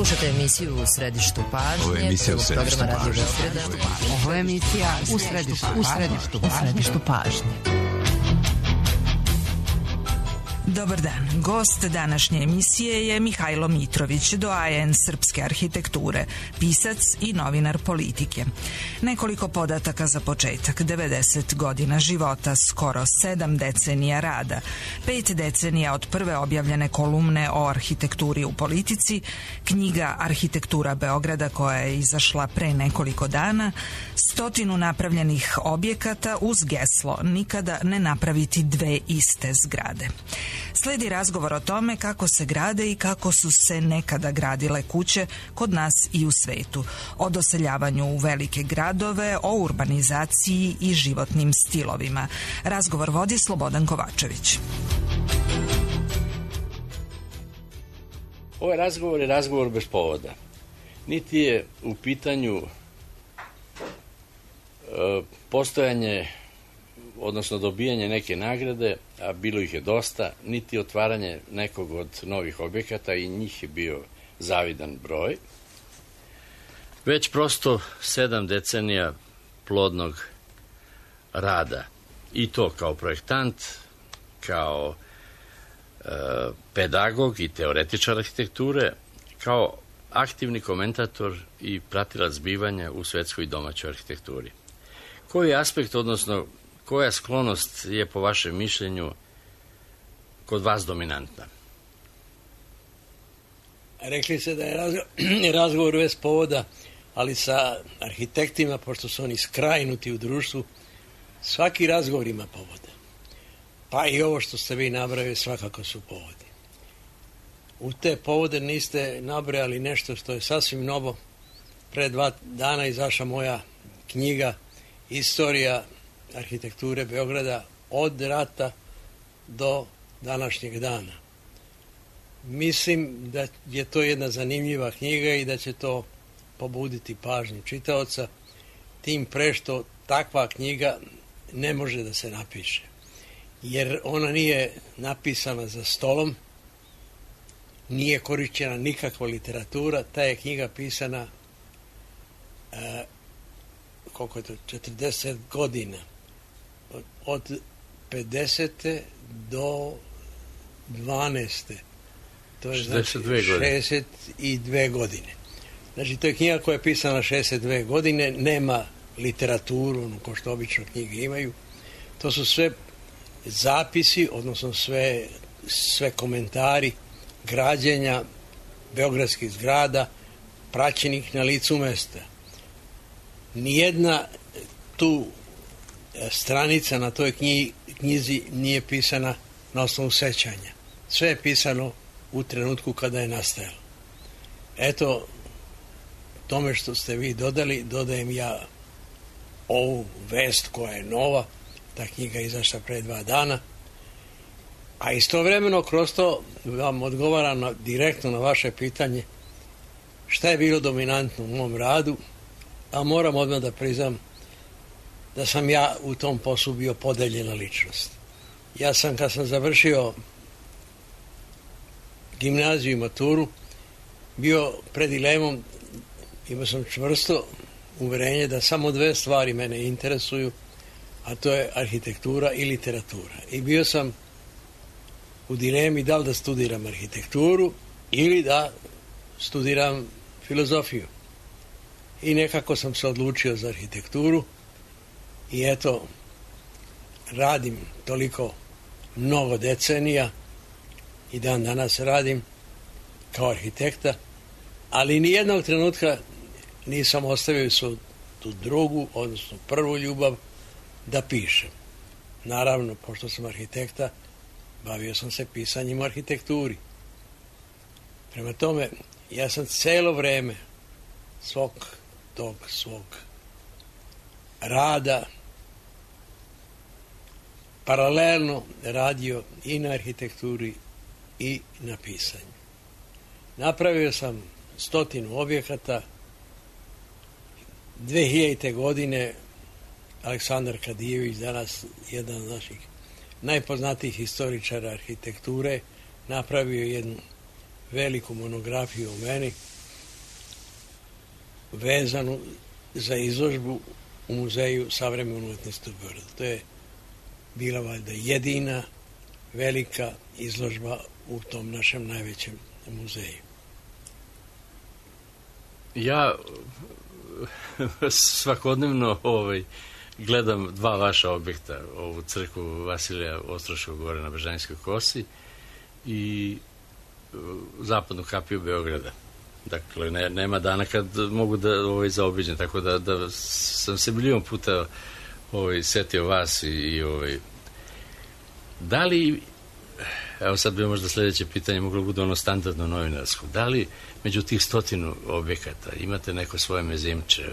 Slušajte emisiju U središtu pažnje. Ovo je emisija U središtu pažnje. Ovo je emisija U središtu pažnje. Dobar dan. Gost današnje emisije je Mihajlo Mitrović, doajen srpske arhitekture, pisac i novinar politike. Nekoliko podataka za početak: 90 godina života, skoro 7 decenija rada, 5 decenija od prve objavljene kolumne o arhitekturi u politici, knjiga Arhitektura Beograda koja je izašla pre nekoliko dana, 100 napravljenih objekata uz geslo nikada ne napraviti dve iste zgrade. Sledi razgovor o tome kako se grade i kako su se nekada gradile kuće kod nas i u svetu, o doseljavanju u velike gradove, o urbanizaciji i životnim stilovima. Razgovor vodi Slobodan Kovačević. Ovaj razgovor je razgovor bez povoda. Niti je u pitanju postojanje, odnosno dobijanje neke nagrade, a bilo ih je dosta, niti otvaranje nekog od novih objekata, i njih je bio zavidan broj, već prosto 7 decenija plodnog rada. I to kao projektant, kao pedagog i teoretičar arhitekture, kao aktivni komentator i pratilac zbivanja u svetskoj i domaćoj arhitekturi. Koji aspekt, odnosno koja sklonost je po vašem mišljenju kod vas dominantna? Rekli ste da je razgovor bez povoda, ali sa arhitektima, pošto su oni skrajnuti u društvu, svaki razgovor ima povoda. Pa i ovo što ste vi nabrojali svakako su povodi. U te povode niste nabrojali nešto što je sasvim novo. Pre 2 dana izašla moja knjiga Istorija arhitekture Beograda od rata do današnjeg dana. Mislim da je to jedna zanimljiva knjiga i da će to pobuditi pažnju čitaoca, tim pre što takva knjiga ne može da se napiše, jer ona nije napisana za stolom, nije korišćena nikakva literatura. Ta je knjiga pisana koliko je to, 40 godina. Od 50. do 12. To je znači 62 godine. Znači, to je knjiga koja je pisana 62 godine, nema literaturu, ono ko što obično knjige imaju. To su sve zapisi, odnosno sve komentari građenja beogradskih zgrada, praćenih na licu mesta. Nijedna tu stranica na toj knjizi nije pisana na osnovu sećanja. Sve je pisano u trenutku kada je nastajalo. Eto, tome što ste vi dodali, dodajem ja ovu vest koja je nova. Ta knjiga je izašla pre 2 dana. A istovremeno kroz to vam odgovaram direktno na vaše pitanje šta je bilo dominantno u mom radu, a moram odmah da priznam da sam ja u tom poslu bio podeljena ličnost. Ja sam, kad sam završio gimnaziju i maturu, bio pred dilemom, imao sam čvrsto uverenje da samo 2 stvari mene interesuju, a to je arhitektura i literatura. I bio sam u dilemi da li da studiram arhitekturu ili da studiram filozofiju. I nekako sam se odlučio za arhitekturu i eto, radim toliko mnogo decenija i dan danas radim kao arhitekta, ali nijednog trenutka nisam ostavio tu drugu, odnosno prvu ljubav da pišem. Naravno, pošto sam arhitekta, bavio sam se pisanjem o arhitekturi. Prema tome, ja sam celo vreme svog rada paralelno radio i na arhitekturi i na pisanju. Napravio sam 100 objekata. 2000. godine Aleksandar Kadijević, danas jedan od naših najpoznatijih historičara arhitekture, napravio jednu veliku monografiju o meni vezanu za izložbu u Muzeju savremene umetnosti u Beogradu. To je bila valjda jedina velika izložba u tom našem najvećem muzeju. Ja svakodnevno gledam dva vaša objekta, ovu crkvu Vasilija Ostroškog gore na Bežanijskoj kosi i zapadnu kapiju Beograda. Dakle, nema dana kad mogu da zaobiđem, tako da sam se milion puta setio vas i da li, evo sad bi možda sljedeće pitanje moglo bude ono standardno novinarsko, da li među tih 100 objekata imate neko svoje mezimče?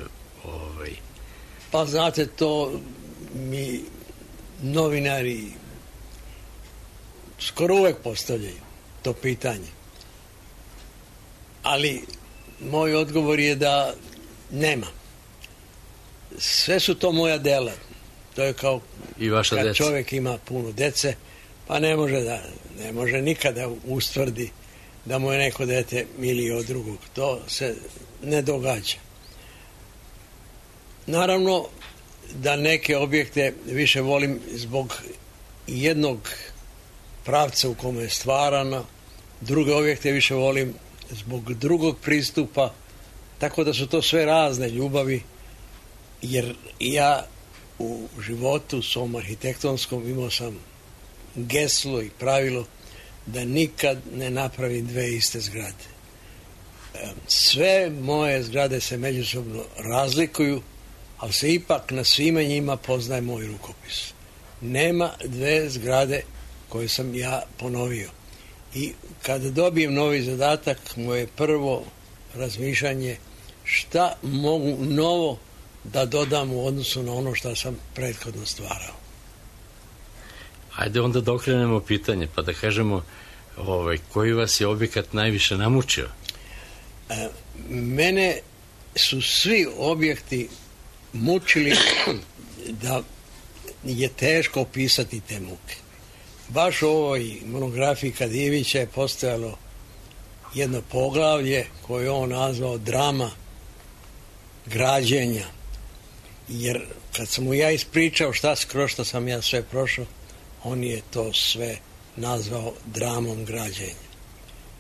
Pa znate, to mi novinari skoro uvek postavljaju to pitanje. Ali moj odgovor je da nema. Sve su to moja dela. To je kao kad čovjek ima puno dece, pa ne može nikada ustvrdi da mu je neko dete milije od drugog. To se ne događa. Naravno da neke objekte više volim zbog jednog pravca u kome je stvarano, druge objekte više volim zbog drugog pristupa, tako da su to sve razne ljubavi, jer ja u životu svom arhitektonskom imao sam geslo i pravilo da nikad ne napravim dve iste zgrade. Sve moje zgrade se međusobno razlikuju, ali se ipak na svima njima poznaje moj rukopis. Nema dve zgrade koje sam ja ponovio. I kada dobijem novi zadatak, moje prvo razmišljanje šta mogu novo da dodam u odnosu na ono što sam prethodno stvarao. Ajde onda da okrenemo pitanje, pa da kažemo koji vas je objekat najviše namučio? Mene su svi objekti mučili da je teško opisati te muke. Baš u ovoj monografiji Kadijevića je postojalo jedno poglavlje koje je on nazvao drama građenja. Jer kad sam mu ja ispričao kroz što sam ja sve prošao, on je to sve nazvao dramom građenja.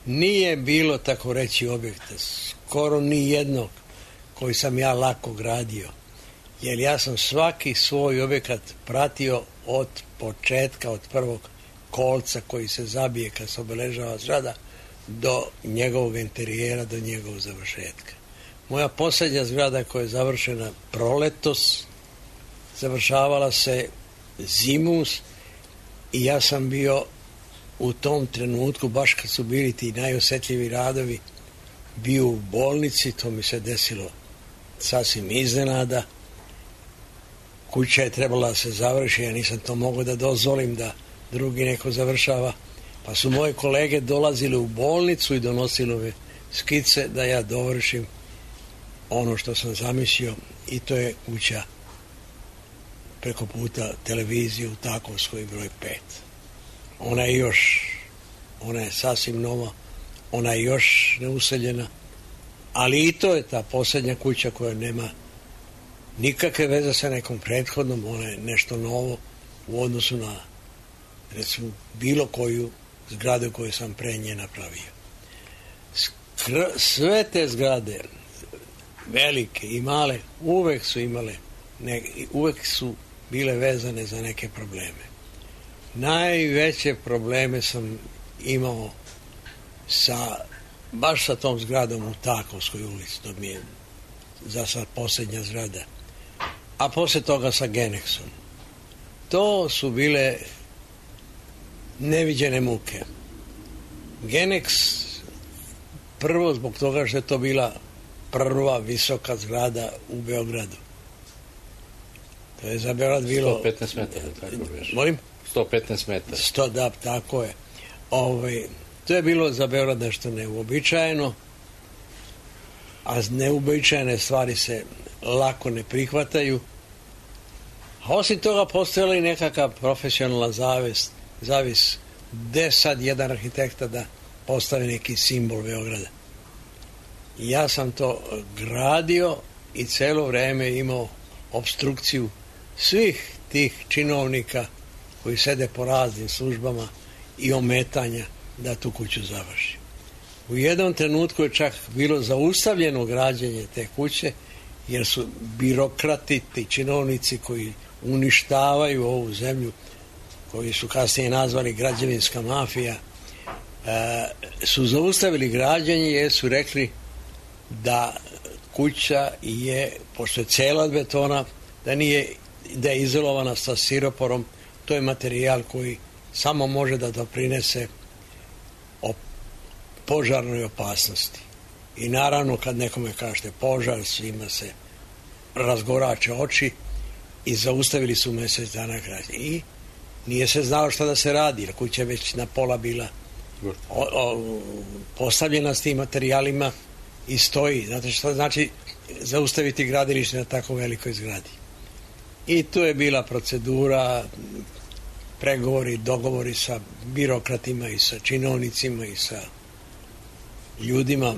Nije bilo, tako reći, objekta, skoro ni jednog koji sam ja lako gradio. Jer ja sam svaki svoj objekat pratio od početka, od prvog kolca koji se zabije kad se obeležava zgrada do njegovog interijera, do njegovog završetka. Moja posljednja zgrada koja je završena proletos, završavala se zimus i ja sam bio u tom trenutku, baš kad su bili ti najosjetljiviji radovi, bio u bolnici, to mi se desilo sasvim iznenada. Kuća je trebala da se završi, ja nisam to mogao da dozvolim da drugi neko završava, pa su moje kolege dolazili u bolnicu i donosili ove skice da ja dovršim ono što sam zamislio, i to je kuća preko puta televizije u Takovskoj broj 5. Ona je sasvim nova, ona je još neuseljena, ali i to je ta posljednja kuća koja nema nikakve veze sa nekom prethodnom, ona je nešto novo u odnosu na, recimo, bilo koju zgradu koju sam pre nje napravio. Sve te zgrade, velike i male, uvek su bile vezane za neke probleme. Najveće probleme sam imao baš sa tom zgradom u Takovskoj ulici, to mi je za sad posljednja zgrada, a poslije toga sa Genexom. To su bile neviđene muke. Genex prvo zbog toga što je to bila prva visoka zgrada u Beogradu. To je za Beograd bilo 115 metara, tako već. Molim? 115 metara. Da, tako je. To je bilo za Beograd nešto neuobičajeno, a neuobičajene stvari se lako ne prihvataju. A osim toga postojala i nekakav profesionalna zavis gde sad jedan arhitekta da postavi neki simbol Beograda. Ja sam to gradio i celo vreme imao opstrukciju svih tih činovnika koji sede po raznim službama i ometanja da tu kuću završi. U jednom trenutku je čak bilo zaustavljeno građenje te kuće, jer su birokrati, ti činovnici koji uništavaju ovu zemlju, koji su kasnije nazvali građevinska mafija, su zaustavili građenje jer su rekli da kuća je, pošto je cela od betona, da je izolovana sa stiroporom. To je materijal koji samo može da doprinese požarnoj opasnosti. I naravno kad nekome kažete požar, svima se razgorače oči i zaustavili su mjesec dana građenje. I nije se znalo šta da se radi, jer kuća je već na pola bila postavljena s tim materijalima i stoji. Znate šta znači zaustaviti gradilište na tako velikoj zgradi? I tu je bila procedura, pregovori, dogovori sa birokratima i sa činovnicima i sa ljudima,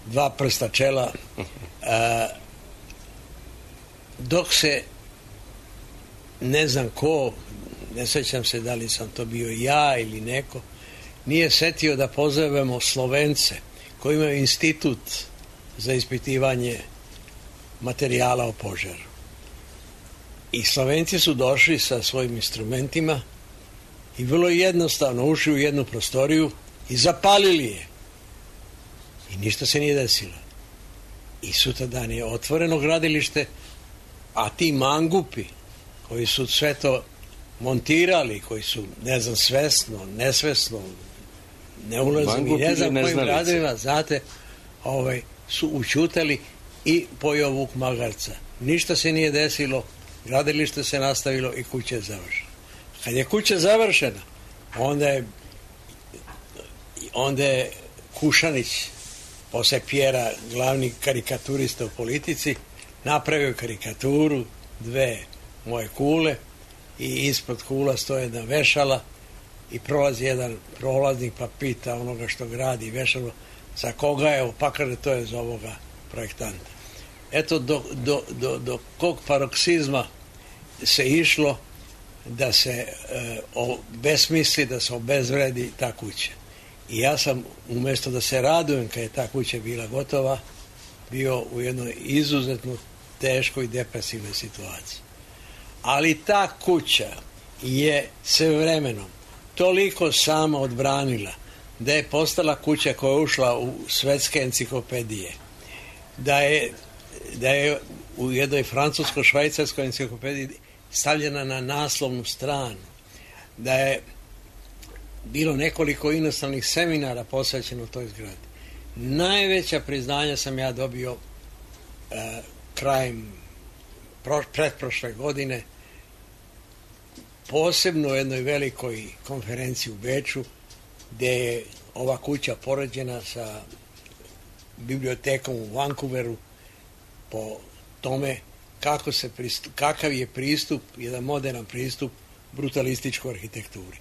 dva prsta čela, dok se ne znam ko, ne sjećam se da li sam to bio ja ili neko, nije setio da pozovemo Slovence koji imaju institut za ispitivanje materijala o požaru. I Slovenci su došli sa svojim instrumentima i vrlo jednostavno ušli u jednu prostoriju i zapalili je. I ništa se nije desilo. I sutradan je otvoreno gradilište, a ti mangupi koji su sve to montirali, koji su, ne znam, svesno, nesvesno, ne ulazim i ne znam kojim gradovima, znate, su učutali i pojeo vuk magarca. Ništa se nije desilo, gradilište se nastavilo i kuća je završena. Kad je kuća završena, onda je Kušanić, posle Pjera, glavni karikaturista u politici, napravio karikaturu, dve moje kule i ispod kula stoje jedna vešala i prolazi jedan prolaznik pa pita onoga što gradi vešalo za koga je, pa kaže to je za ovoga projektanta. Eto do kog paroksizma se išlo da se besmisli, da se obezvredi ta kuća. I ja sam, umjesto da se radujem kad je ta kuća bila gotova, bio u jednoj izuzetno teškoj i depresivnoj situaciji. Ali ta kuća je se vremenom toliko sama odbranila da je postala kuća koja je ušla u svetske enciklopedije, da je u jednoj francusko-švajcarskoj enciklopediji stavljena na naslovnu stranu, da je bilo nekoliko inostranih seminara posvećeno toj zgradi. Najveća priznanja sam ja dobio krajem pretprošle godine, posebno u jednoj velikoj konferenciji u Beču, gdje je ova kuća poređena sa bibliotekom u Vancouveru po tome kakav je pristup, jedan modern pristup brutalističkoj arhitekturi.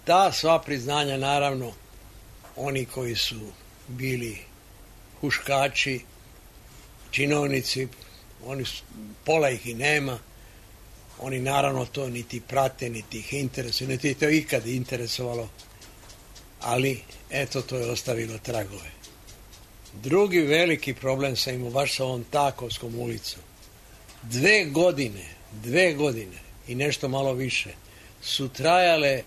Ta sva priznanja, naravno, oni koji su bili huškači, činovnici, pola ih i nema, oni naravno to niti prate, niti ih interesuje, niti to ikad interesovalo, ali eto, to je ostavilo tragove. Drugi veliki problem sam imao baš sa ovom Takovskom ulicom. 2 godine i nešto malo više su trajale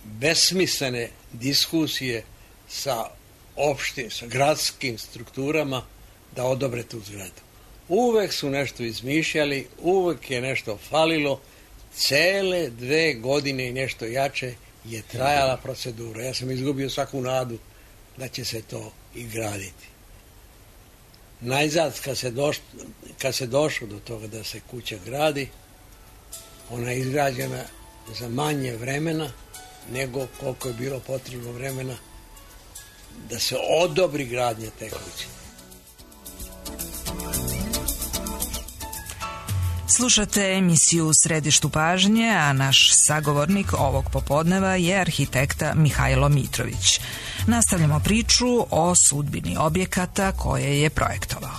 besmislene diskusije sa gradskim strukturama da odobre tu zgradu. Uvek su nešto izmišljali, uvek je nešto falilo, cele 2 godine i nešto jače je trajala procedura. Ja sam izgubio svaku nadu da će se to i graditi. Najzad, kad se došlo do toga da se kuća gradi, ona je izgrađena za manje vremena nego koliko je bilo potrebno vremena da se odobri gradnja te kuće. Slušate emisiju U središtu pažnje, a naš sagovornik ovog popodneva je arhitekta Mihajlo Mitrović. Nastavljamo priču o sudbini objekata koje je projektovao.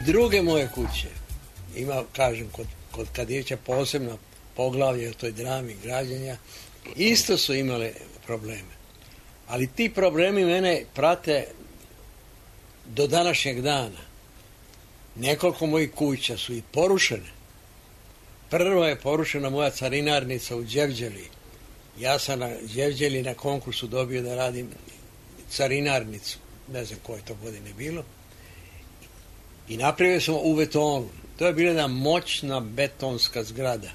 Druge moje kuće, ima, kažem, kod Kadića posebno poglavlje o toj drami građenja, isto su imale probleme. Ali ti problemi mene prate do današnjeg dana. Nekoliko mojih kuća su i porušene. Prvo je porušena moja carinarnica u Đevđeli. Ja sam na Đevđeli na konkursu dobio da radim carinarnicu. Ne znam koje to godine bilo. I napravio sam u betonu. To je bila jedna moćna betonska zgrada.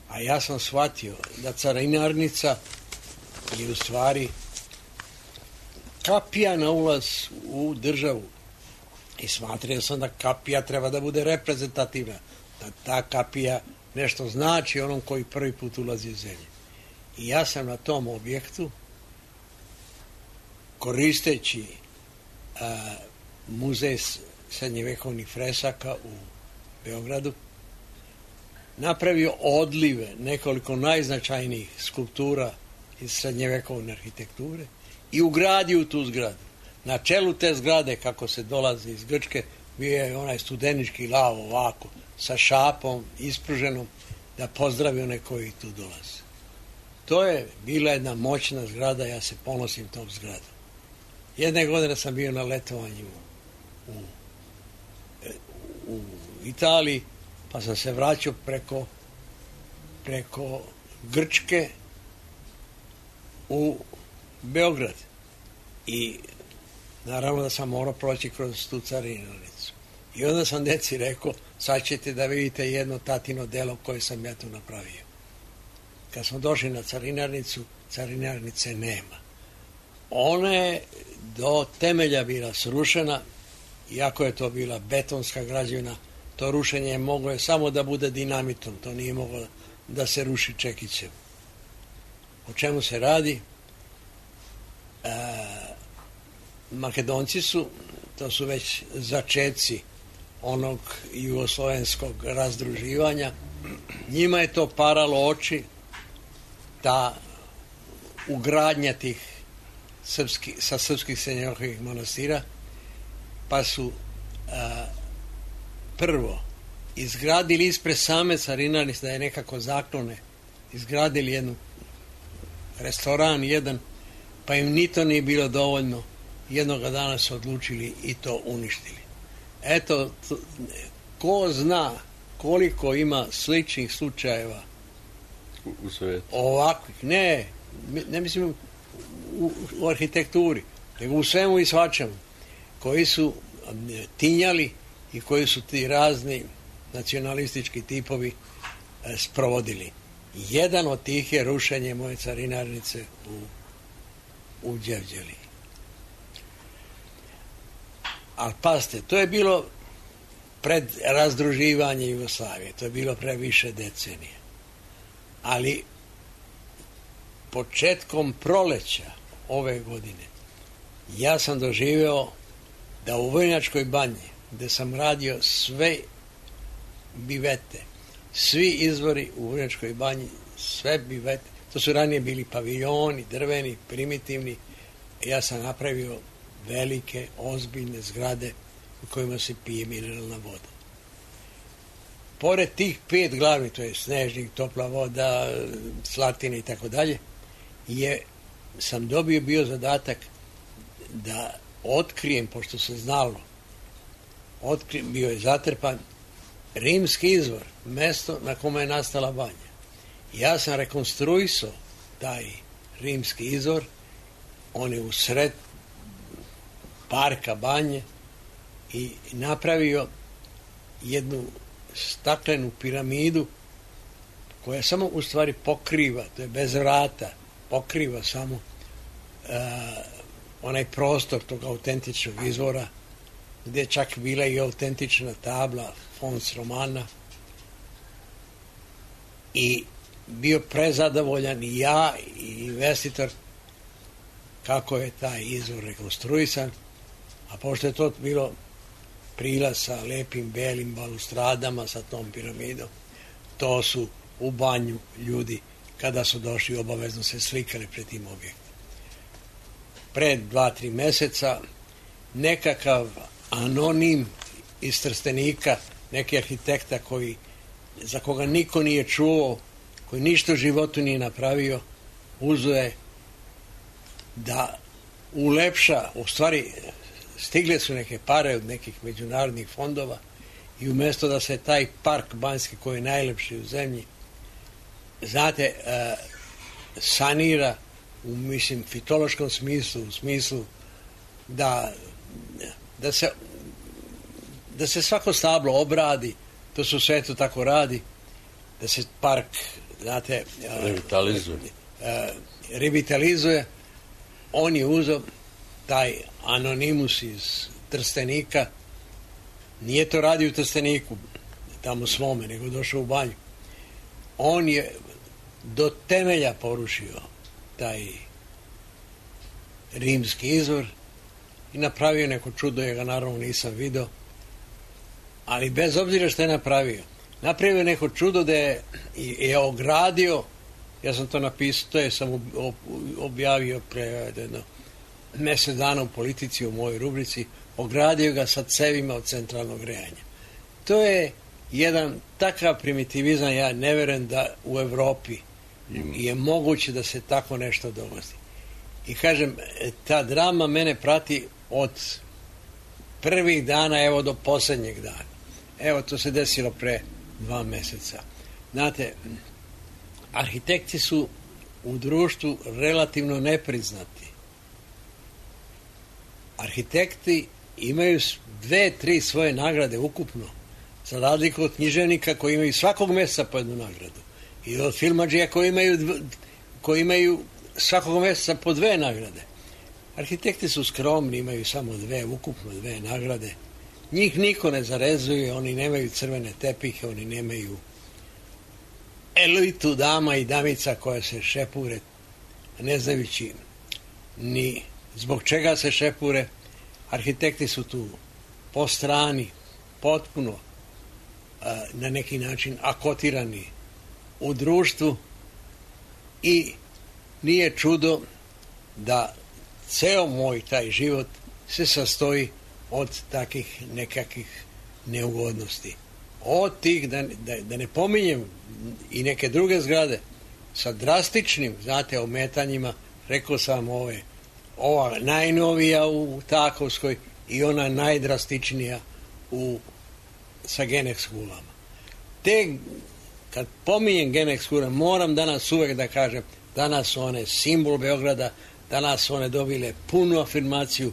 A ja sam shvatio da carinarnica je u stvari kapija na ulaz u državu. I smatrio sam da kapija treba da bude reprezentativna. Da ta kapija nešto znači onom koji prvi put ulazi u zemlju. I ja sam na tom objektu, koristeći muzej srednjevekovnih fresaka u Beogradu, napravio odlive nekoliko najznačajnijih skulptura iz srednjevekovne arhitekture i ugradio tu zgradu. Na čelu te zgrade, kako se dolazi iz Grčke, bio je onaj studenički lav ovako, sa šapom ispruženom, da pozdravi one koji tu dolaze. To je bila jedna moćna zgrada, ja se ponosim tom zgradom. Jedne godine sam bio na letovanju u Italiji, pa sam se vraćao preko Grčke u Beograd. I naravno da sam morao proći kroz tu carinarnicu. I onda sam deci rekao, sad ćete da vidite jedno tatino delo koje sam ja tu napravio. Kad smo došli na carinarnicu, carinarnice nema. Ona je do temelja bila srušena, iako je to bila betonska građevina, to rušenje moglo je samo da bude dinamitom, to nije moglo da se ruši čekićem. O čemu se radi? Makedonci su, to su već začeci onog jugoslovenskog razdruživanja, njima je to paralo oči, ta ugradnja tih sa srpskih srednjovekovnih manastira, pa su prvo izgradili ispred same carinarnice, da je nekako zaklone, izgradili jednu restoran jedan, pa im ni to nije bilo dovoljno. Jednoga dana su odlučili i to uništili. Eto, ko zna koliko ima sličnih slučajeva u svijetu. Ovakvih, ne mislim u arhitekturi, nego u svemu i svačemu, koji su tinjali i koji su ti razni nacionalistički tipovi sprovodili. Jedan od tih je rušenje moje carinarnice u Đevđeli. Ali pazite, to je bilo pred razdruživanje Jugoslavije, to je bilo pre više decenije. Ali početkom proleća ove godine ja sam doživeo da u Vojnačkoj banji, gde sam radio sve bivete, svi izvori u Vojnačkoj banji, sve bivete, to su ranije bili paviljoni, drveni, primitivni, ja sam napravio velike, ozbiljne zgrade u kojima se pije mineralna voda. Pored tih 5 glavnih, to je snežnik, topla voda, slatine i tako dalje, sam dobio bio zadatak da otkrijem, pošto se znalo, bio je zatrpan rimski izvor, mesto na kome je nastala banja. Ja sam rekonstruisao taj rimski izvor, on je u sred parka banje i napravio jednu staklenu piramidu koja samo u stvari pokriva, to je bez vrata, pokriva samo onaj prostor tog autentičnog izvora, gdje je čak bila i autentična tabla Fons Romana, i bio prezadovoljan i ja i investitor kako je taj izvor rekonstruisan, a pošto je to bilo prilaz sa lepim belim balustradama, sa tom piramidom, to su u banju ljudi kada su došli obavezno se slikali pred tim objektom. pred 2-3 meseca nekakav anonim iz Trstenika, neki arhitekta za koga niko nije čuo, koji ništa u životu nije napravio, uzeo je da ulepša, u stvari stigle su neke pare od nekih međunarodnih fondova i umjesto da se taj park Banjski, koji je najlepši u zemlji, znate, sanira u, mislim, fitološkom smislu, u smislu da se svako stablo obradi, to se u svetu tako radi, da se park, znate, revitalizuje. On je uzeo taj anonimus iz Trstenika, nije to radio u Trsteniku, tamo svome, nego došao u Banju. On je do temelja porušio taj rimski izvor i napravio neko čudo, ja ga naravno nisam vidio, ali bez obzira što je napravio neko čudo da je ogradio, ja sam to napisao, to je sam objavio pre jedno mjesec dana u Politici u mojoj rubrici, ogradio ga sa cevima od centralnog grejanja. To je jedan takav primitivizam, ja ne verujem da u Evropi je moguće da se tako nešto dogodi. I kažem, ta drama mene prati od prvih dana, evo do posljednjeg dana. Evo, to se desilo pre 2 mjeseca. Znate, arhitekti su u društvu relativno nepriznati. Arhitekti imaju 2-3 svoje nagrade ukupno, za razliku od književnika koji imaju svakog mjeseca po jednu nagradu. I od filmadžija koji imaju svakog mjeseca po 2 nagrade. Arhitekti su skromni, imaju samo 2, ukupno 2 nagrade. Njih niko ne zarezuje, oni nemaju crvene tepihe, oni nemaju elitu dama i damica koja se šepure, ne znajući ni zbog čega se šepure. Arhitekti su tu po strani, potpuno na neki način akotirani u društvu i nije čudo da ceo moj taj život se sastoji od takih nekakvih neugodnosti. Od tih, da ne pominjem i neke druge zgrade sa drastičnim, znate, ometanjima, rekao sam ova najnovija u Takovskoj i ona najdrastičnija sa Genex kulama. Kad pominjem Genex kule, moram danas uvek da kažem, danas su one simbol Beograda, danas su one dobile punu afirmaciju,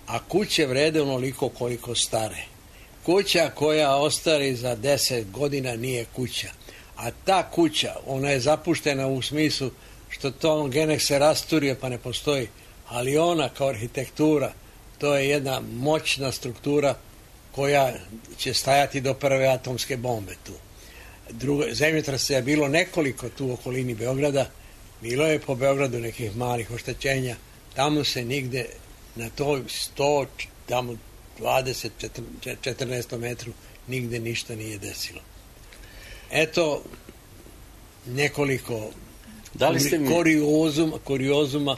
a kuće vrede onoliko koliko stare. Kuća koja ostari za 10 godina nije kuća. A ta kuća, ona je zapuštena u smislu što to Genex se rasturio pa ne postoji, ali ona kao arhitektura, to je jedna moćna struktura koja će stajati do prve atomske bombe tu. Zemljotresa je bilo nekoliko tu u okolini Beograda, bilo je po Beogradu nekih malih oštećenja, tamo se nigde na toj 100, tamo 20, 14 metru nigde ništa nije desilo. Eto nekoliko kuriozuma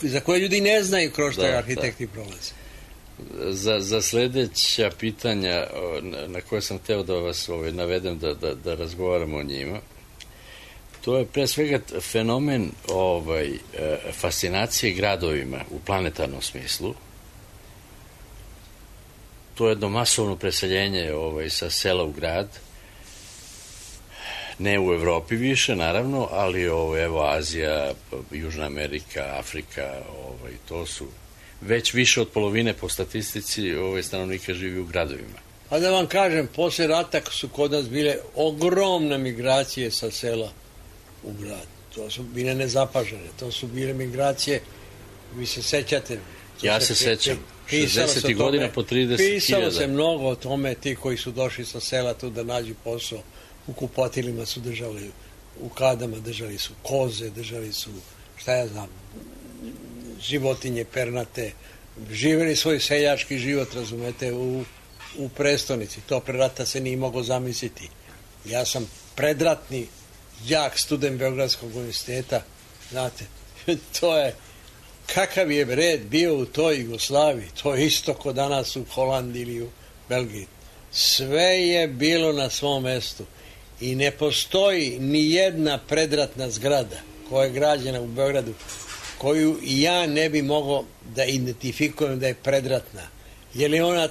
za koje ljudi ne znaju kroz što arhitekti prolaze. Za sljedeća pitanja na koje sam hteo da vas navedem da razgovaramo o njima, to je pre svega fenomen fascinacije gradovima u planetarnom smislu. To je jedno masovno preseljenje sa sela u grad, ne u Evropi više naravno, ali evo Azija, Južna Amerika, Afrika, to su već više od polovine po statistici stanovnika živi u gradovima. A da vam kažem, posle rata su kod nas bile ogromne migracije sa sela u grad. To su bile nezapažene, to su bile migracije, vi se sećate. Ja se sećam, 60. godina po 30.000. Pisalo se mnogo o tome, ti koji su došli sa sela tu da nađu posao, u kupotilima su držali, u kadama držali su koze, držali su, šta ja znam, životinje pernate, živjeli svoj seljački život, razumete, u prestonici. To pre rata se nije moglo zamisliti. Ja sam predratni jak student Beogradskog univerziteta, znate, to je kakav je red bio u toj Jugoslaviji, to je isto kod danas u Holandiji ili u Belgiji. Sve je bilo na svom mestu i ne postoji ni jedna predratna zgrada koja je građena u Beogradu koju ja ne bi mogao da identifikujem da je predratna. Je li ona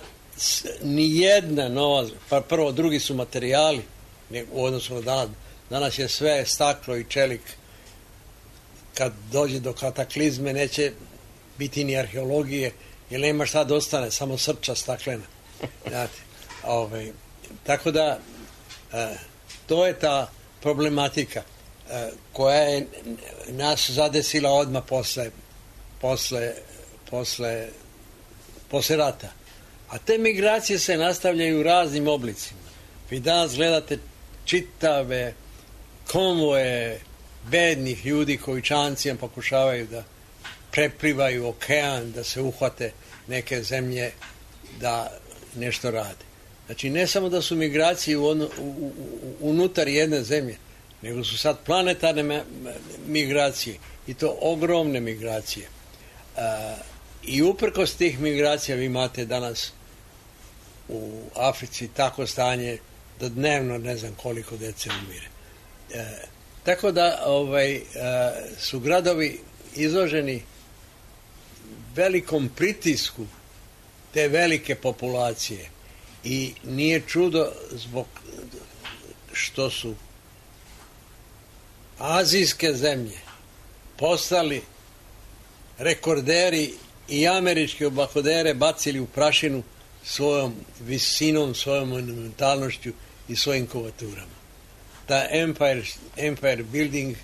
ni jedna nova, pa prvo drugi su materijali u odnosu na danas. Danas je sve staklo i čelik. Kad dođe do kataklizme neće biti ni arheologije, jer nema šta da ostane, samo srča staklena. Znate, tako da to je ta problematika koja je nas zadesila odmah posle rata. A te migracije se nastavljaju u raznim oblicima. Vi danas gledate čitave konvoje bednih ljudi koji čamcima pokušavaju da preplivaju okean, da se uhvate neke zemlje da nešto rade. Znači, ne samo da su migracije unutar jedne zemlje, nego su sad planetarne migracije i to ogromne migracije. I uprkos tih migracija vi imate danas u Africi tako stanje da dnevno ne znam koliko dece umire. Tako da su gradovi izloženi velikom pritisku te velike populacije i nije čudo zbog što su azijske zemlje postali rekorderi i američki oblakodere bacili u prašinu svojom visinom, svojom monumentalnošću i svojim kuvaturama. Ta Empire Building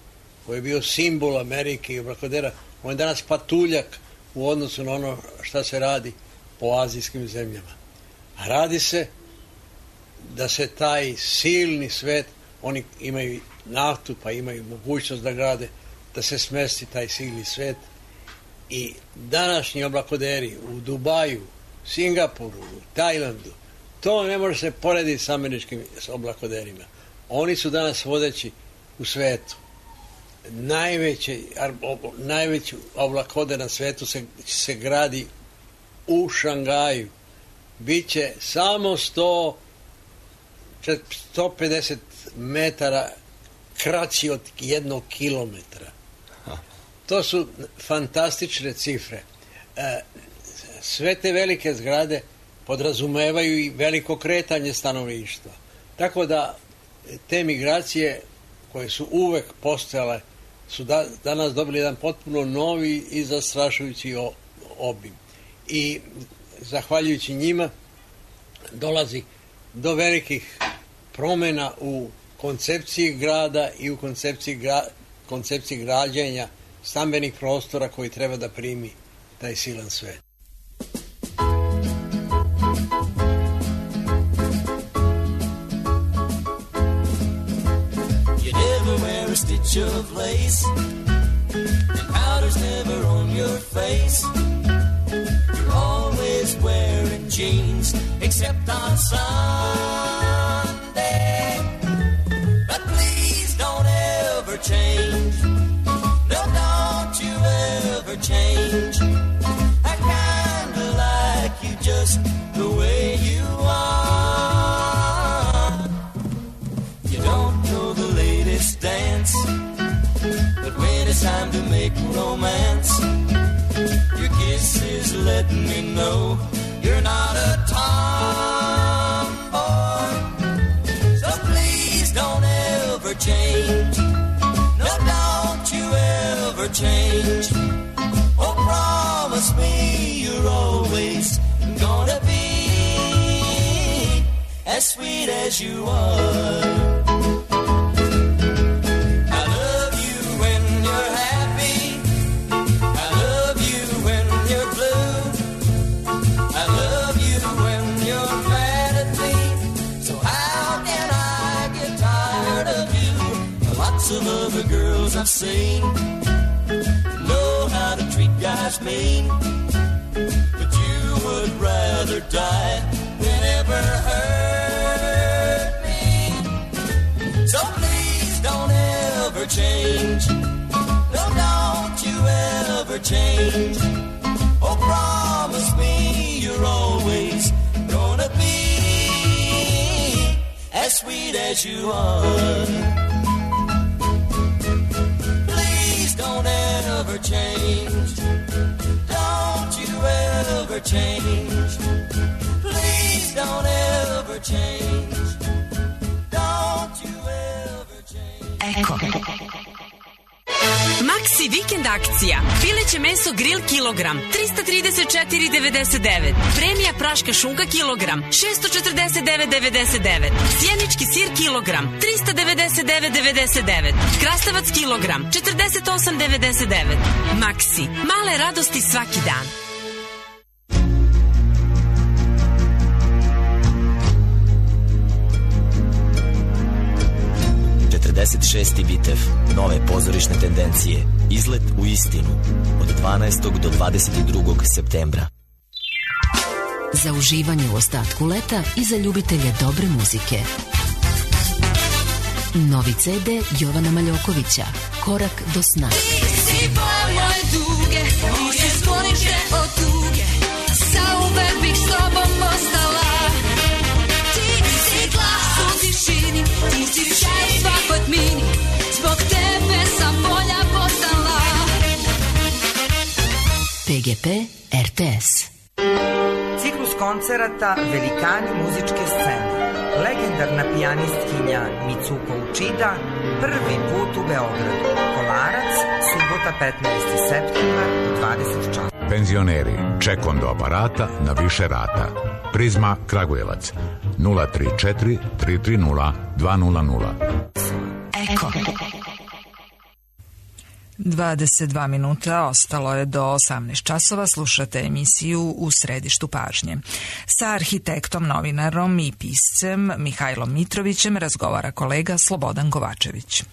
koji je bio simbol Amerike i oblakodera, on je danas patuljak u odnosu na ono šta se radi po azijskim zemljama. A radi se da se taj silni svet, oni imaju naftu pa imaju mogućnost da grade, da se smesti taj silni svet i današnji oblakoderi u Dubaju, Singapuru, Tajlandu, to ne može se porediti s američkim oblakoderima. Oni su danas vodeći u svetu. Najveći oblakoder na svetu se gradi u Šangaju. Biće samo 150 metara kraći od 1 kilometra. To su fantastične cifre. Sve te velike zgrade podrazumevaju i veliko kretanje stanovništva. Tako da te migracije koje su uvek postojale su danas dobili jedan potpuno novi i zastrašujući obim. I zahvaljujući njima dolazi do velikih promjena u koncepciji grada i u koncepciji građenja stambenih prostora koji treba da primi taj silan svet. You never wear a stitch of lace and powder's never on your face. You're always wearing jeans except on Sunday. But please don't ever change. No, don't you ever change. I kinda like you just the way you are. You don't know the latest dance, but when it's time to make romance, your kiss is letting me know you're not a tomboy. So please don't ever change. No, don't you ever change. Oh, promise me you're always gonna be as sweet as you are. I love you when you're happy. I love you when you're blue. I love you when you're mad at me. So how can I get tired of you? Lots of other girls I've seen know how to treat guys mean, but you would rather die than ever hurt me. So please don't ever change. No, don't you ever change. Oh, promise me you're always gonna be as sweet as you are. Please don't ever change. Don't you ever change. Please don't ever change. Don't you ever change. Eko. Maxi vikend akcija. Pileće meso grill kilogram 334,99. Premija praška šunka kilogram 649,99. Sjenički sir kilogram 399,99. Krastavac kilogram 48,99. Maxi. Male radosti svaki dan. 46. bitev, nove pozorišne tendencije, izlet u istinu, od 12. do 22. septembra. Za uživanje u ostatku leta i za ljubitelje dobre muzike. Novi CD Jovana Maljokovića, Korak do sna. Ti si bol moje duge, moje sklonište od tuge, zauvek bih s tobom ostala. Ti si glas u tišini, ti si šaj u svakoj tmini, zbog tebe sam bolja postala. PGP RTS. Ciklus koncerata Velikani muzičke scene. Legendarna pijanistkinja Mitsuko Uchida prvi put u Beogradu. Kolarac, subota 15. septembra u 20 časova. Penzioneri, ček do aparata na više rata. Prizma Kragujevac 034 330 200. Eko. 22 minuta ostalo je do 18 časova. Slušate emisiju U središtu pažnje. Sa arhitektom, novinarom i piscem Mihajlom Mitrovićem razgovara kolega Slobodan Kovačević.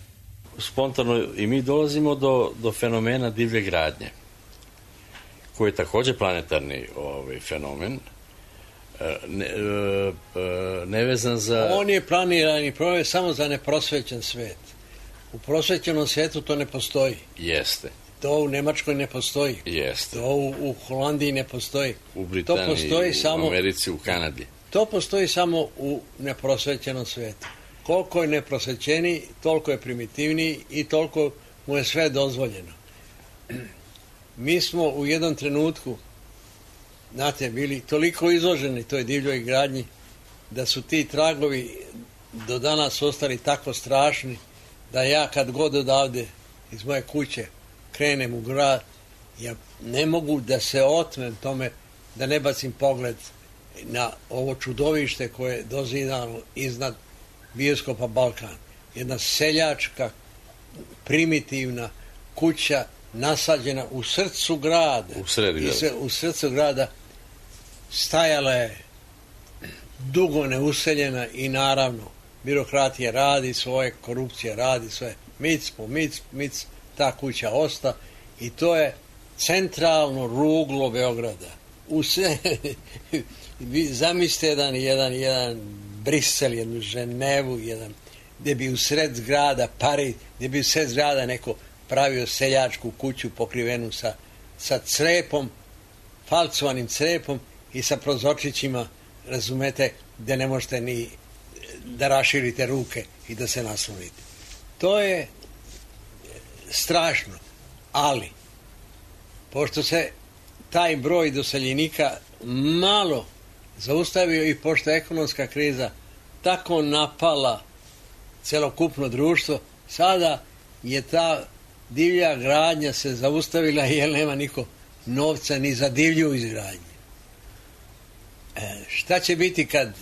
Spontano i mi dolazimo do fenomena divlje gradnje, koji je takođe planetarni fenomen, nevezan za... On je planirani problem samo za neprosvećen svet. U prosvećenom svetu to ne postoji. Jeste. To u Nemačkoj ne postoji. Jeste. To u Holandiji ne postoji. U Britaniji, to postoji samo, u Americi, u Kanadi. To postoji samo u neprosvećenom svetu. Koliko je neprosvećeniji, toliko je primitivniji i toliko mu je sve dozvoljeno. Mi smo u jednom trenutku, znate, bili toliko izloženi toj divljoj gradnji, da su ti tragovi do danas ostali tako strašni, da ja kad god odavde iz moje kuće krenem u grad, ja ne mogu da se otmem tome, da ne bacim pogled na ovo čudovište koje je dozidano iznad bioskopa Balkan. Jedna seljačka, primitivna kuća nasađena u srcu grada. U srcu grada stajala je dugo neuseljena i naravno birokratija radi svoje, korupcija radi svoje, mic, ta kuća osta i to je centralno ruglo Beograda. Zamislite jedan Brisel, jednu Ženevu, gdje bi u sred zgrada Pariz, gdje bi u sred zgrada neko pravio seljačku kuću pokrivenu sa crepom, falcovanim crepom i sa prozorčićima, razumete, gdje ne možete ni da raširite ruke i da se naslonite. To je strašno, ali pošto se taj broj doseljenika malo zaustavio i pošto je ekonomska kriza tako napala celokupno društvo, sada je ta divlja gradnja se zaustavila jer nema niko novca ni za divlju izgradnju. Šta će biti kad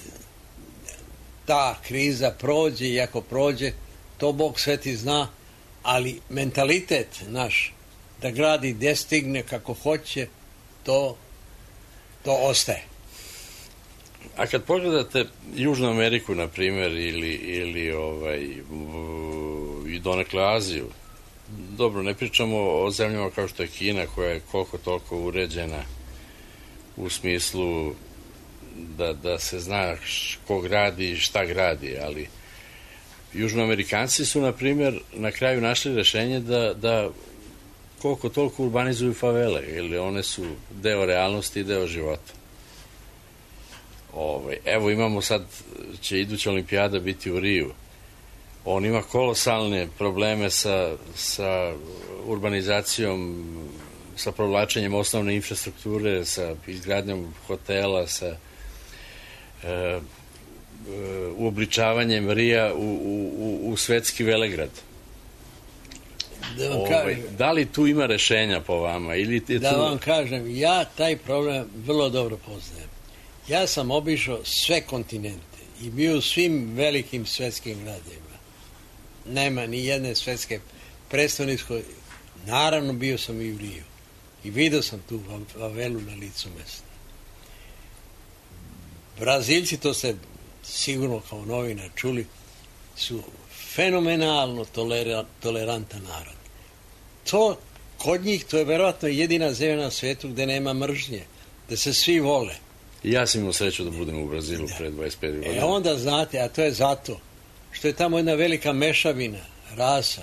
ta kriza prođe i ako prođe, to Bog sveti zna, ali mentalitet naš da gradi gde stigne kako hoće, to ostaje. A kad pogledate Južnu Ameriku, na primjer, ili i donekle Aziju, dobro, ne pričamo o zemljama kao što je Kina, koja je koliko toliko uređena u smislu da se zna ko gradi i šta gradi, ali Južnoamerikanci su, na primjer, na kraju našli rešenje da koliko toliko urbanizuju favele, ili one su deo realnosti i deo života. Evo imamo sad, će iduća olimpijada biti u Riju. On ima kolosalne probleme sa urbanizacijom, sa provlačenjem osnovne infrastrukture, sa izgradnjom hotela, sa uobličavanjem Rija u svetski velegrad. Da li tu ima rešenja po vama? Da vam kažem, ja taj problem vrlo dobro poznajem. Ja sam obišao sve kontinente i bio u svim velikim svetskim gradovima. Nema ni jedne svetske predstavničke. Naravno bio sam i u Riju i vidio sam tu favelu na licu mesta. Brazilci, to ste sigurno kao novinar čuli, su fenomenalno tolerantan narod. To kod njih, to je verovatno jedina zemlja na svetu gde nema mržnje, da se svi vole. Ja sam imao sreću da budem u Brazilu pre 25 godina. Onda znate, a to je zato što je tamo jedna velika mešavina rasa.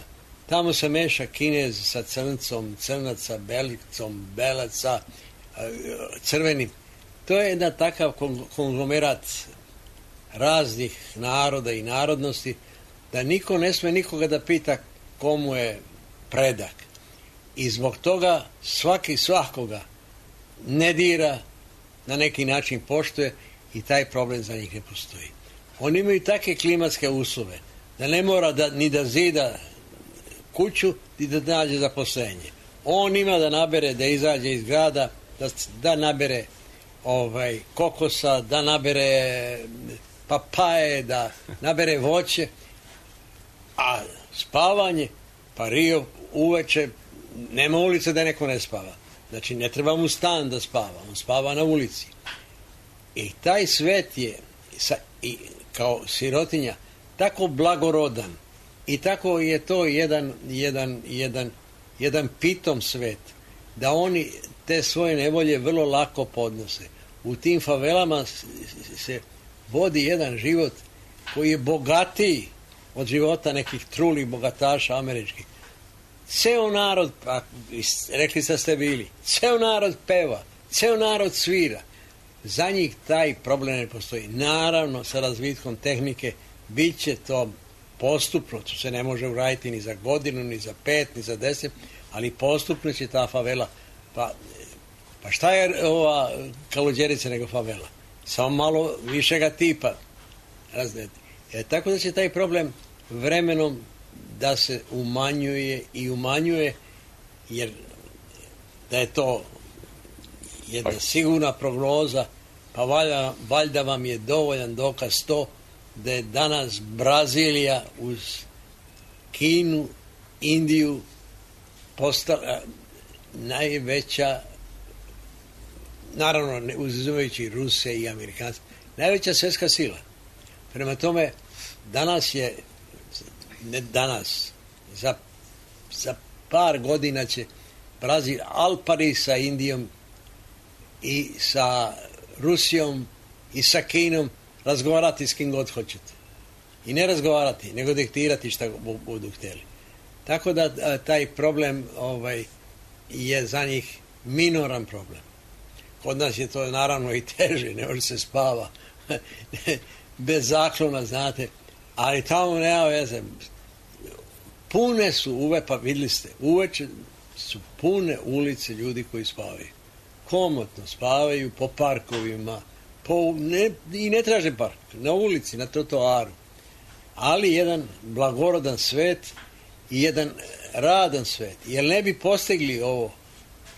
Tamo se meša Kinez sa crncom, crnac sa belicom, belac sa crvenim. To je jedan takav konglomerat raznih naroda i narodnosti da niko ne sme nikoga da pita komu je predak. I zbog toga svaki svakoga ne dira, na neki način poštuje i taj problem za njih ne postoji. Oni imaju takve klimatske uslove da ne mora ni da zida kuću ni da nađe zaposlenje. On ima da nabere, da izađe iz grada, da nabere kokosa, da nabere papaje, da nabere voće, a spavanje, pa Rio uveče, nema ulice da neko ne spava. Znači, ne treba mu stan da spava, on spava na ulici. I taj svet je, kao sirotinja, tako blagorodan i tako je to jedan pitom svet, da oni te svoje nevolje vrlo lako podnose. U tim favelama se vodi jedan život koji je bogatiji od života nekih trulih bogataša američkih. Ceo narod, rekli ste bili, ceo narod peva, ceo narod svira. Za njih taj problem ne postoji. Naravno, sa razvitkom tehnike bit će to postupno, to se ne može uraditi ni za godinu, ni za 5, ni za 10, ali postupno će ta favela. Pa šta je ova Kaluđerica nego favela? Samo malo višega tipa. Tako da će taj problem vremenom da se umanjuje i umanjuje, jer da je to jedna sigurna prognoza, pa valjda vam je dovoljan dokaz to da je danas Brazilija uz Kinu, Indiju postala najveća, naravno uzimajući Ruse i Amerikanci, najveća svjetska sila. Prema tome, danas je, ne danas, za par godina će Brazil al pari sa Indijom i sa Rusijom i sa Kinom razgovarati s kim god hoćete. I ne razgovarati, nego diktirati šta budu htjeli. Tako da taj problem je za njih minoran problem. Kod nas je to naravno i teže, ne može se spava bez zaklona, znate, ali tamo nema veze. Pune su pa vidjeli ste, uveče su pune ulice ljudi koji spavaju. Komotno spavaju po parkovima, i ne traže park, na ulici, na trotoaru. Ali jedan blagorodan svet i jedan radan svet. Jer ne bi postigli ovo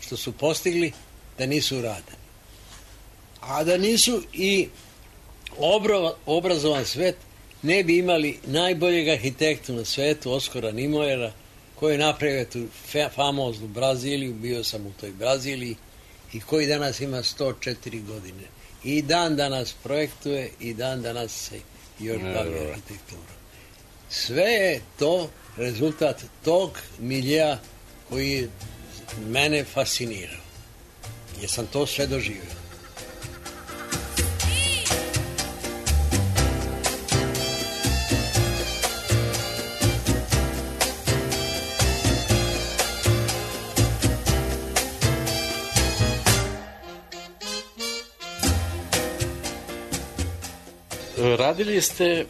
što su postigli da nisu radani. A da nisu i obrazovan svet, ne bi imali najboljeg arhitektu na svetu, Oskara Nimojera, koji je napravio tu famoznu Braziliju, bio sam u toj Braziliji, i koji danas ima 104 godine. I dan danas projektuje i dan danas se još bavi arhitekturom. Sve je to rezultat tog miljea koji je mene fascinirao. Jer sam to sve doživio. Radili ste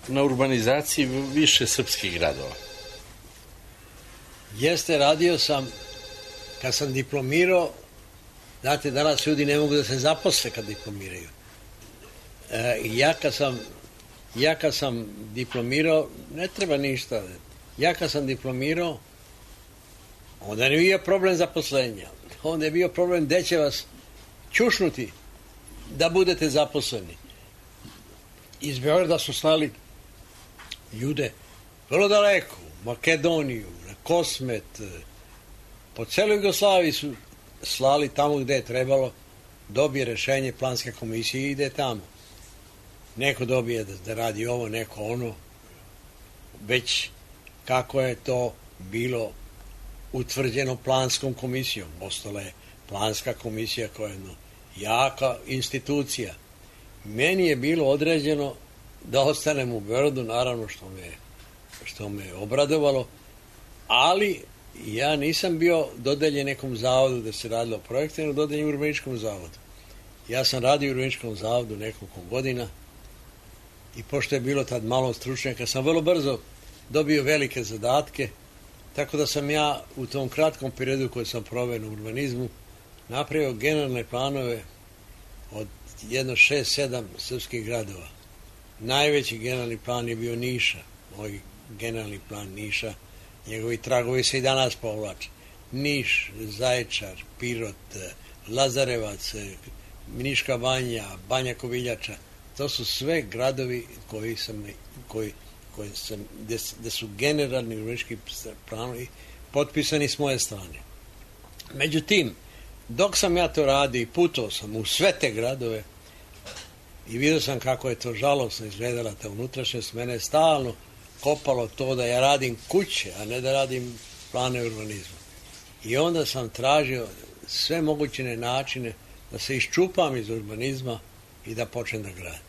na urbanizaciji više srpskih gradova. Jeste, radio sam, kad sam diplomirao, znate, danas ljudi ne mogu da se zaposle kad diplomiraju. Ja kad sam diplomirao, ne treba ništa. Ja kad sam diplomirao, onda nije bio problem zaposlenja. Onda je bio problem gde će vas čušnuti da budete zaposleni. Iz Beograda su slali ljude vrlo daleko, u Makedoniju, na Kosmet, po celoj Jugoslaviji su slali tamo gde je trebalo, dobije rešenje planske komisije i ide tamo. Neko dobije da radi ovo, neko ono, već kako je to bilo utvrđeno planskom komisijom. Ostala je planska komisija koja je jedna jaka institucija. Meni je bilo određeno da ostanem u Beogradu, naravno što me obradovalo, ali ja nisam bio dodeljen nekom zavodu da se radilo o projektu, nego dodeljen urbanističkom zavodu. Ja sam radio u urbanističkom zavodu nekoliko godina i pošto je bilo tad malo stručnjaka, sam vrlo brzo dobio velike zadatke, tako da sam ja u tom kratkom periodu koji sam proveo na urbanizmu napravio generalne planove od 6-7 srpskih gradova. Najveći generalni plan je bio Niša, moj generalni plan Niša, njegovi tragovi se i danas povlače. Niš, Zaječar, Pirot, Lazarevac, Niška banja, Banja Koviljača, to su sve gradovi gde su generalni urbanistički planovi potpisani s moje strane. Međutim, dok sam ja to radio i putovao sam u sve te gradove i vidio sam kako je to žalosno izgledala ta unutrašnjost, mene je stalno kopalo to da ja radim kuće, a ne da radim plane urbanizma. I onda sam tražio sve moguće načine da se iščupam iz urbanizma i da počnem da gradim.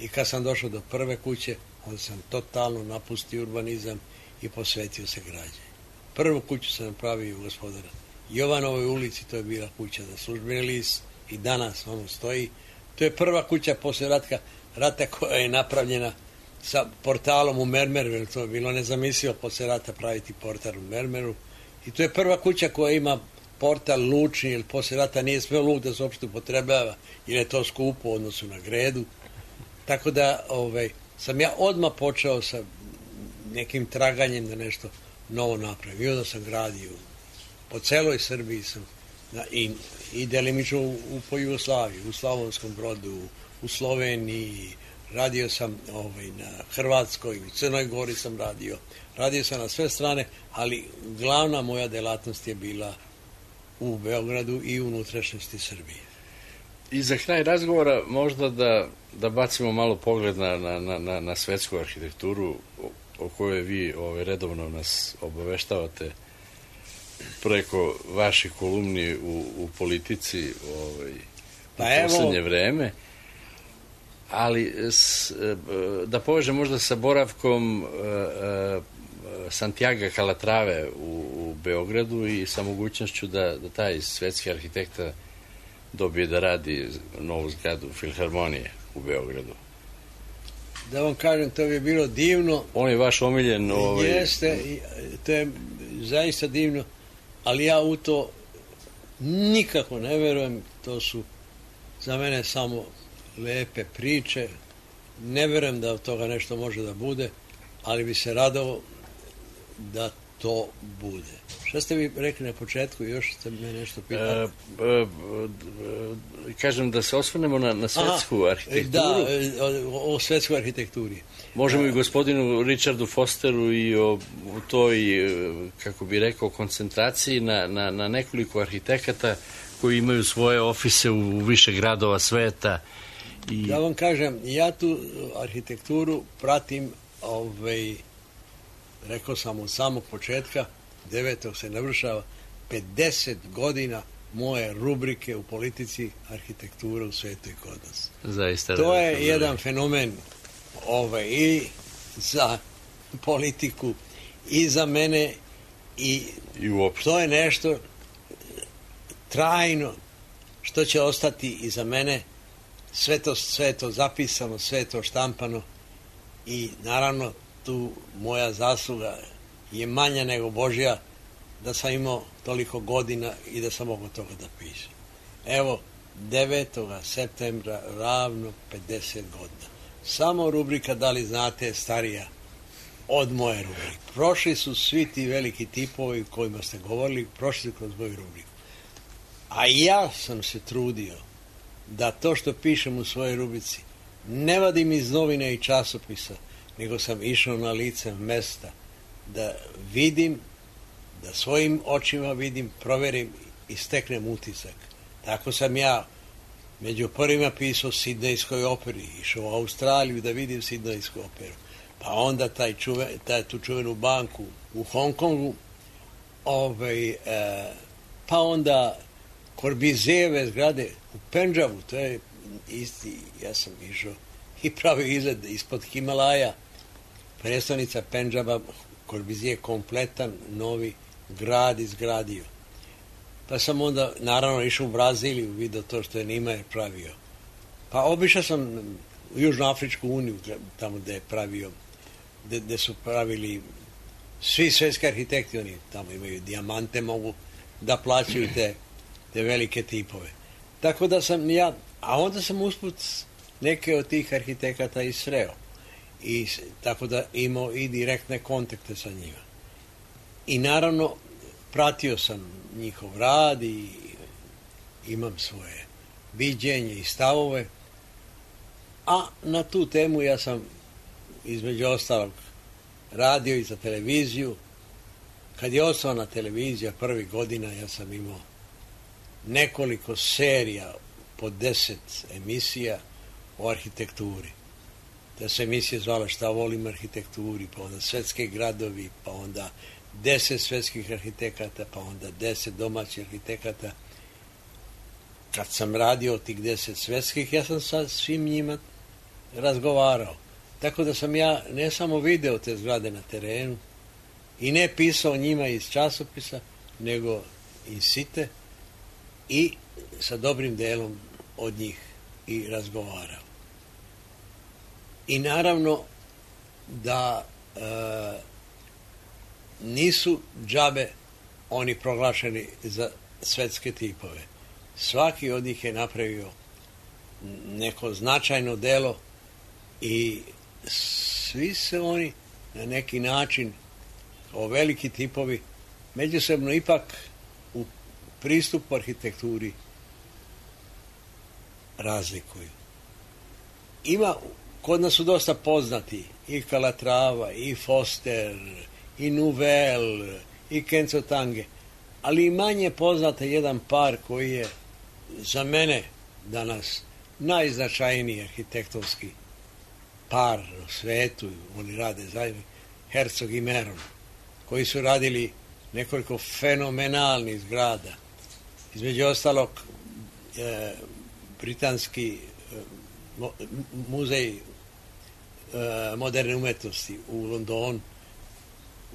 I kad sam došao do prve kuće, onda sam totalno napustio urbanizam i posvetio se građenju. Prvu kuću sam napravio u Gospodara Jovanovoj ulici, to je bila kuća za službeni list i danas ono stoji. To je prva kuća posle rata koja je napravljena sa portalom u mermeru, jer to je bilo nezamislivo posle rata praviti portal u mermeru. I to je prva kuća koja ima portal lučni, jer posle rata nije sve luk da se uopšte upotrebljava, jer je to skupo u odnosu na gredu. Tako da sam ja odmah počeo sa nekim traganjem da nešto novo napravim. I onda sam gradio po celoj Srbiji sam i delimično po Jugoslaviji, u Slavonskom Brodu, u Sloveniji, radio sam na Hrvatskoj, u Crnoj Gori sam radio sam na sve strane, ali glavna moja delatnost je bila u Beogradu i u unutrašnjosti Srbije. I za kraj razgovora možda da bacimo malo pogled na svetsku arhitekturu o kojoj vi redovno nas obaveštavate preko vaših kolumni u Politici u poslednje vreme. Ali da povežem možda sa boravkom Santiaga Calatrave u Beogradu i sa mogućnošću da taj svetski arhitekta dobije da radi novu zgradu Filharmonije u Beogradu. Da vam kažem, to bi bilo divno. On je vaš omiljen... Jeste, to je zaista divno, ali ja u to nikako ne verujem. To su za mene samo lepe priče. Ne verujem da od toga nešto može da bude, ali bi se radao da to bude. Šta ste vi rekli na početku? Još ste me nešto pitali? Kažem da se osvrnemo na svetsku arhitekturu. Da, o svetskoj arhitekturi. Možemo i gospodinu Richardu Fosteru i o toj, kako bi rekao, koncentraciji na nekoliko arhitekata koji imaju svoje ofise u više gradova sveta. Da vam kažem, ja tu arhitekturu pratim, rekao sam od samog početka, 9. se navršava 50 godina moje rubrike u Politici arhitektura u svetu i kod nas. Zaista. To je jedan fenomen i za politiku i za mene i uopšte. To je nešto trajno što će ostati i za mene sve je to zapisano, sve je to štampano i naravno tu moja zasluga je manja nego Božja da sam imao toliko godina i da sam mogao toga da pišem. Evo, 9. septembra ravno 50 godina. Samo rubrika Da li znate je starija od moje rubrike. Prošli su svi ti veliki tipovi o kojima ste govorili, prošli kroz moju rubriku. A ja sam se trudio da to što pišem u svojoj rubrici ne vadim iz novine i časopisa, nego sam išao na lice mesta da vidim, da svojim očima vidim, proverim i steknem utisak. Tako sam ja među prvima pisao Sidnejskoj operi, išao u Australiju da vidim Sidnejsku operu, pa onda tu čuvenu banku u Hong Kongu, pa onda Corbizijeve zgrade u Pendžavu, to je isti, ja sam išao i pravio izgled ispod Himalaja, predstavnica Pendžaba, Corbizije kompletan novi grad izgradio. Pa sam onda naravno išao u Braziliju, vidio to što je Niemeyer pravio. Pa obišao sam u Južnoafričku uniju, tamo gde je pravio, gde su pravili svi svetski arhitekti, oni tamo imaju dijamante, mogu da plaćaju te velike tipove. Tako da sam ja, a onda sam usput neke od tih arhitekata i sreo. I tako da imao i direktne kontakte sa njima. I naravno pratio sam njihov rad i imam svoje viđenje i stavove, a na tu temu ja sam između ostalog radio i za televiziju. Kad je osnovana televizija prvih godina, ja sam imao nekoliko serija po 10 emisija o arhitekturi. Da se emisija zvala Šta volim arhitekturi, pa onda Svetski gradovi, pa onda 10 svetskih arhitekata, pa onda 10 domaćih arhitekata. Kad sam radio tih 10 svetskih, ja sam sa svim njima razgovarao. Tako da sam ja ne samo video te zgrade na terenu i ne pisao njima iz časopisa, nego iz site i sa dobrim delom od njih i razgovarao. I naravno da nisu džabe oni proglašeni za svetske tipove. Svaki od njih je napravio neko značajno delo i svi se oni na neki način kao veliki tipovi međusobno ipak u pristupu arhitekturi razlikuju. Kod nas su dosta poznati i Calatrava, i Foster, i Nouvel, i Kenzo Tange, ali i manje poznate jedan par koji je za mene danas najznačajniji arhitektonski par u svetu, oni rade zajedno, Herzog i Meron, koji su radili nekoliko fenomenalnih zgrada. Između ostalog, britanski muzej moderne umetnosti u Londonu,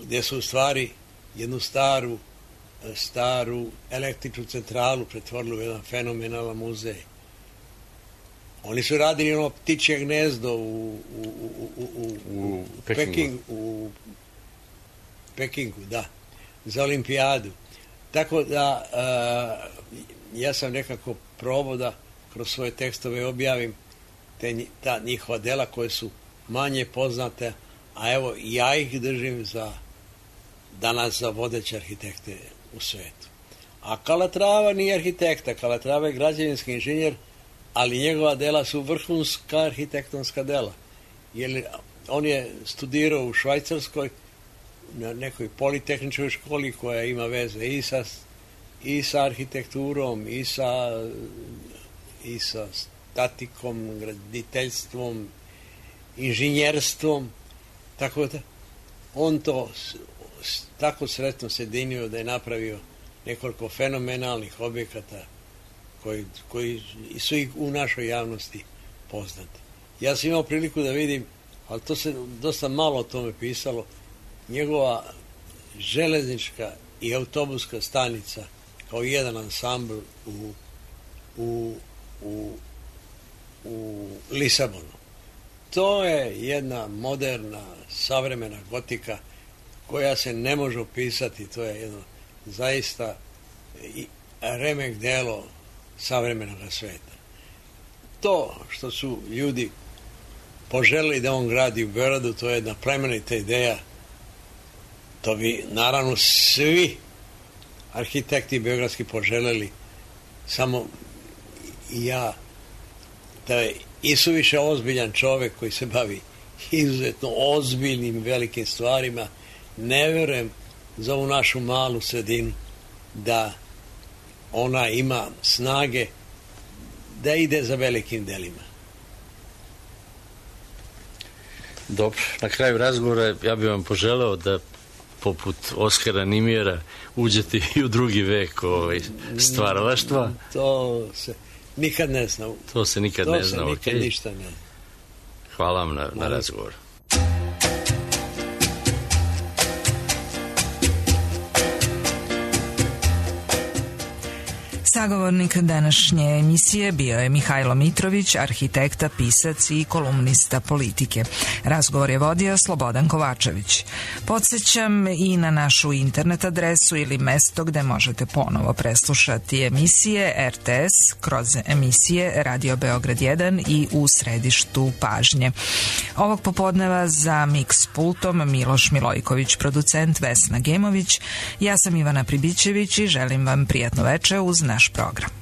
gdje su u stvari jednu staru električnu centralu pretvorili u jedan fenomenalan muzej. Oni su radili ono ptičje gnezdo u Pekingu, da, za olimpijadu. Tako da ja sam nekako probao da kroz svoje tekstove objavim ta njihova dela koje su manje poznate, a evo ja ih držim danas za vodeće arhitekte u svetu. A Calatrava nije arhitekta, Calatrava je građevinski inženjer, ali njegova dela su vrhunska arhitektonska dela. Jer on je studirao u Švajcarskoj na nekoj politehničkoj školi koja ima veze i sa arhitekturom, i sa statikom, graditeljstvom, inženjerstvom. Tako da on to tako sretno sjedinio da je napravio nekoliko fenomenalnih objekata koji su i u našoj javnosti poznati. Ja sam imao priliku da vidim, ali to se dosta malo o tome pisalo, njegova železnička i autobuska stanica kao jedan ansambl u u Lisabonu. To je jedna moderna, savremena gotika koja se ne može opisati. To je jedno zaista remek delo savremenog sveta. To što su ljudi poželili da on gradi u Beogradu, to je jedna plemenita ideja. To bi naravno svi arhitekti beogradski poželeli, samo ja, da je isuviše ozbiljan čovek koji se bavi izuzetno ozbiljnim velikim stvarima, ne verujem za ovu našu malu sredinu da ona ima snage da ide za velikim delima. Dobro, na kraju razgovora ja bih vam poželeo da poput Oskara Nimjera uđete i u drugi vek stvaralaštva. To se nikad ne zna. To se nikad ne zna, to se nikad ništa ne zna. Hvala vam na razgovor. Sagovornik današnje emisije bio je Mihajlo Mitrović, arhitekta, pisac i kolumnista politike. Razgovor je vodio Slobodan Kovačević. Podsjećam i na našu internet adresu ili mesto gde možete ponovo preslušati emisije RTS kroz emisije Radio Beograd 1 i u središtu pažnje. Ovog popodneva za Mix pultom Miloš Milojković, producent Vesna Gemović. Ja sam Ivana Pribićević i želim vam prijatno veče uz naš program.